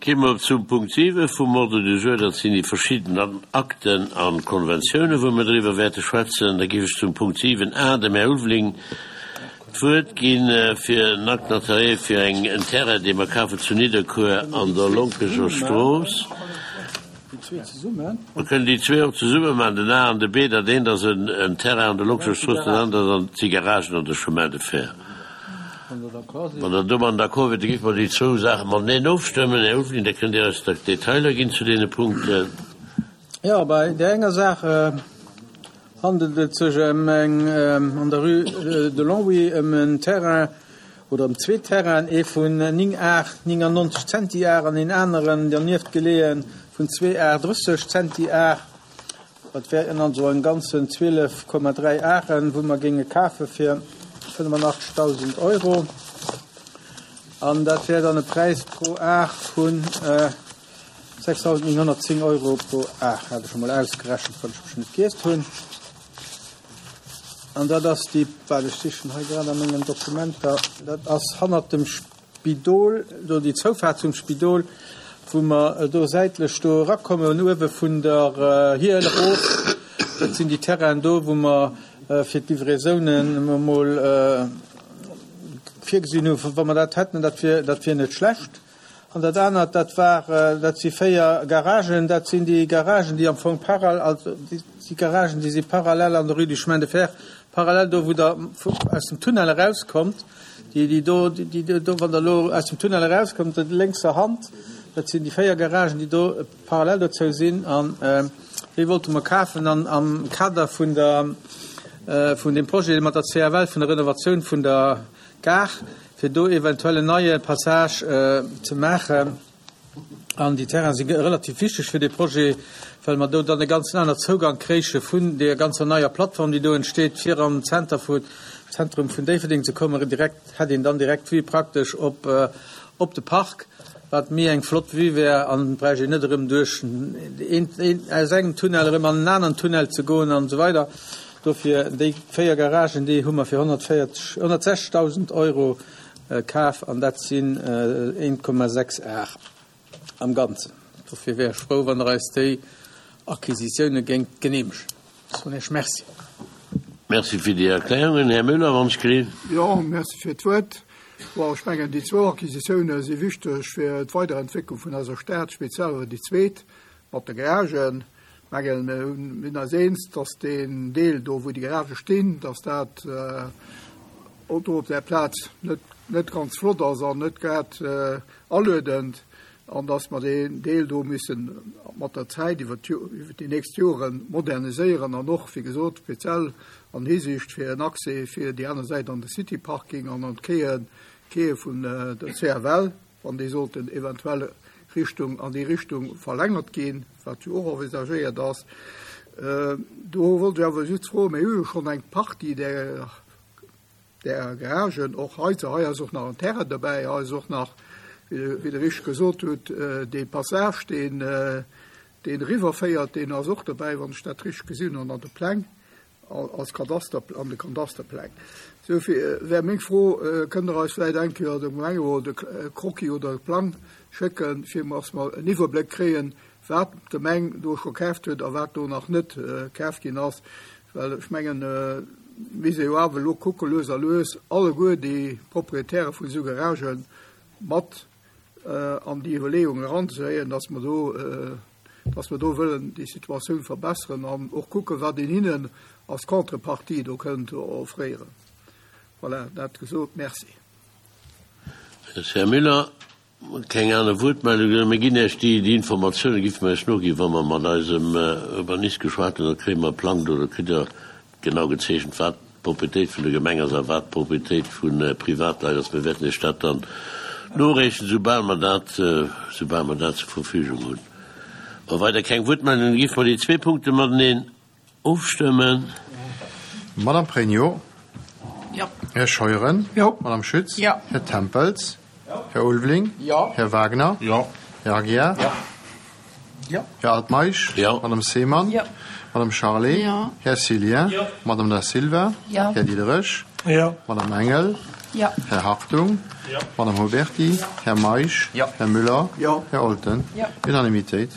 Gi mer zum Punkt 7 vum Ordre du jour. Dat sinn déi verschidden Akten a Konventiounen, wou mer driwwer wäerte schwätzen. Da géif ech zum Punkt 7 a dem Här Ulveling d'Wuert gi fir en Acte notarié fir eng en Terrain, dee mer kafen zu Nidderkuer an der Lonkeger Strooss. Mer kënnen déi zwee och zesumme maachen, den A an de B. Dat eent ass en Terrain an der Lonkeger Strooss, dat anert ass si Garagen an der Chemin de Fer. Wann Der domadden d'accord wiert, da géife mer déi zwou Saache mateneen ofstëmmen. Här Ulveling, da kënnt Dir eis da d'Detailer ginn zu deene Punkten. Jo, bei där enger Saach handelt et sech ëm eng, an der Rue de Longwy, ëm en Terrain oder ëm zwee Terrainen, ee vun 9 Ar 99 Zentiar an een aneren dernieft geleeë vun zwee Ar 30 Zentiar. Dat wären also am Ganzen 12,3 Aren, wou mer géinge kafe fir 85.000 Euro. An dat wär dann e Präis pro Ar vu 6.910 Euro pro Ar, hat ech emol ausgerechent, wann ech mech net giest hunn. An dat ass déi, wat ech sichen hei grad a mengen Dokumenter, dat ass hannert dem Spidol, do déi Zoufaart zum Spidol, wou mer do säitlech do erakommen, uewe vun der Hiel erof, dat sinn déi Terrainen do, wou mer fir d'Livraisonen emol virgesinn hunn, wa mer dat hätten, dat wier, dat wier net schlecht. An dat anert, dat war, dat si 4 Garagen, dat sinn déi Garagen, déi am Fong paral, also déi Garagen, déi si parallel an der Rue du Chemin de Fer, parallel do, wou Der aus dem Tunnel erauskommt. Déi, déi do, déi do, wann Der elo aus dem Tunnel erauskommt, lénkser Hand, dat sinn déi 4 Garagen, déi do parallel dozou sinn. An déi wollte mer kafen an am Kader vun der, vun deem Projet mat der CFL, vun der Renovatioun vun der Gare, fir do eventuell en neie Passage ze maachen. An déi Terraine si relativ wichteg fir dee Projet, well mer do dann e ganzen aner Zougang kréiche vun deeër ganzer neier Plattform, déi do entsteet, fir an den Zenter vu, Zentrum vun Déifferdeng ze kommen. Direkt hätt een dann direkt d'Vue praktesch op, op de Park, wat méi eng flott Vue wär an et bräicht een net erëm duerch een, een, aus engem Tunnel erëm an en aneren Tunnel ze goen an esou weider. Dofir déi 4 Garagen, déi hu mer fir 140, 160.000 Euro Kaf, an dat sinn 1,6 Ar am Ganzen. Dofir wär ech frou, wann Der eis déi Acquisitioune géingt geneemegen. Ech soen Iech Merci. Merci fir déi Erklärungen. Här Müller, wann ech gelift. Jo, merci fir d'Wuert. Bon, ech mengen, déi zwou Acquisitioune si wichteg fir d'Weiderentwécklung vun eiser Stad, speziell awer déi zweet mat de Garagen. Mengen, mir sinn eis eens, dass deen Deel do, wou déi Garagë stinn, dass dat do op där Plaz net, net ganz flott ass an net grad aluedend an dass mer deen Deel do müssen mat der Zäit iwwer déi nächst Jore moderniséieren an och, wéi gesot, speziell an Hisiicht fir en Accès fir déi aner Säit an de City Parking an an d'Quaien, Quaie vun der CFL. wann déi sollten eventuell Richtung, an déi Richtung verlängert ginn, wat jo och envisagéiert ass. Do wollt ech awer just froen, mir hu jo schonn eng Partie där, där Garagen och hei, hei ass och nach en Terrain dobäi, hei ass och nach, wéi Der richteg gesot hutt, dee Passage, deen, deen eriwwerféiert, deen ass och dobäi, wann ech dat richteg gesinn hunn an de Pläng. Als Kadaster, an de Kadasterpläng. Dofir wär meng Fro, Kënnt Der eis vläicht eng Kéier de Gemengerot e Croquis oder e Plang schécken, fir dass mer en Iwwerbléck kréien, wat d'Gemeng do scho kaaft huet a wat do nach net kaaft ginn ass? Well ech mengen, mir si jo awer elo kucke lues a lues alleguer déi Proprietäre vun esou Garagë mat an déi Iwwerleeung eranzehëien, dass mer do, dass mer do wëllen déi Situatioun verbessern an och kucken, wat een hinnen als Contrepartie do kënnt offréieren. Voilà, dat gesot. Merci. Merci, Här Müller. Keng aner Wuertmeldungen. Mir ginn Iech déi, déi Informatioune géife mer Iech noginn, wa mer mat eisem Urbanist geschwat hunn. Da kréie mer e Plang do, da kritt Der genau gezeechent, wat d'Proprietéit vun der Gemeng ass a wat d'Proprietéit vu Privatleit ass. Mir wäerten Iech dat dann noreechen, soubal mer dat, soubal mer dat zur Verfügung hunn. Wa weider keng Wuertmeldungen ginn, géife mer déi zwee Punkte mateneen ofstëmmen. Madame Pregno. Jo. Här Scheuren. Jo. Madame Schütz. Jo. Här Tempels. Här Ulveling. Jo. Här Wagner. Jo. Här Aguiar. Jo. Jo. Här Altmeisch. Jo. Madame Seemann. Jo. Madame Charlé. Jo. Här Cillien. Jo. Madame Da Silva. Jo. Här Diderich. Jo. Madame Engel. Jo. Här Hartung. Jo. Madame Huberty. Jo. Här Meisch. Jo. Här Müller. Jo. Här Olten. Jo. Unanimitéit.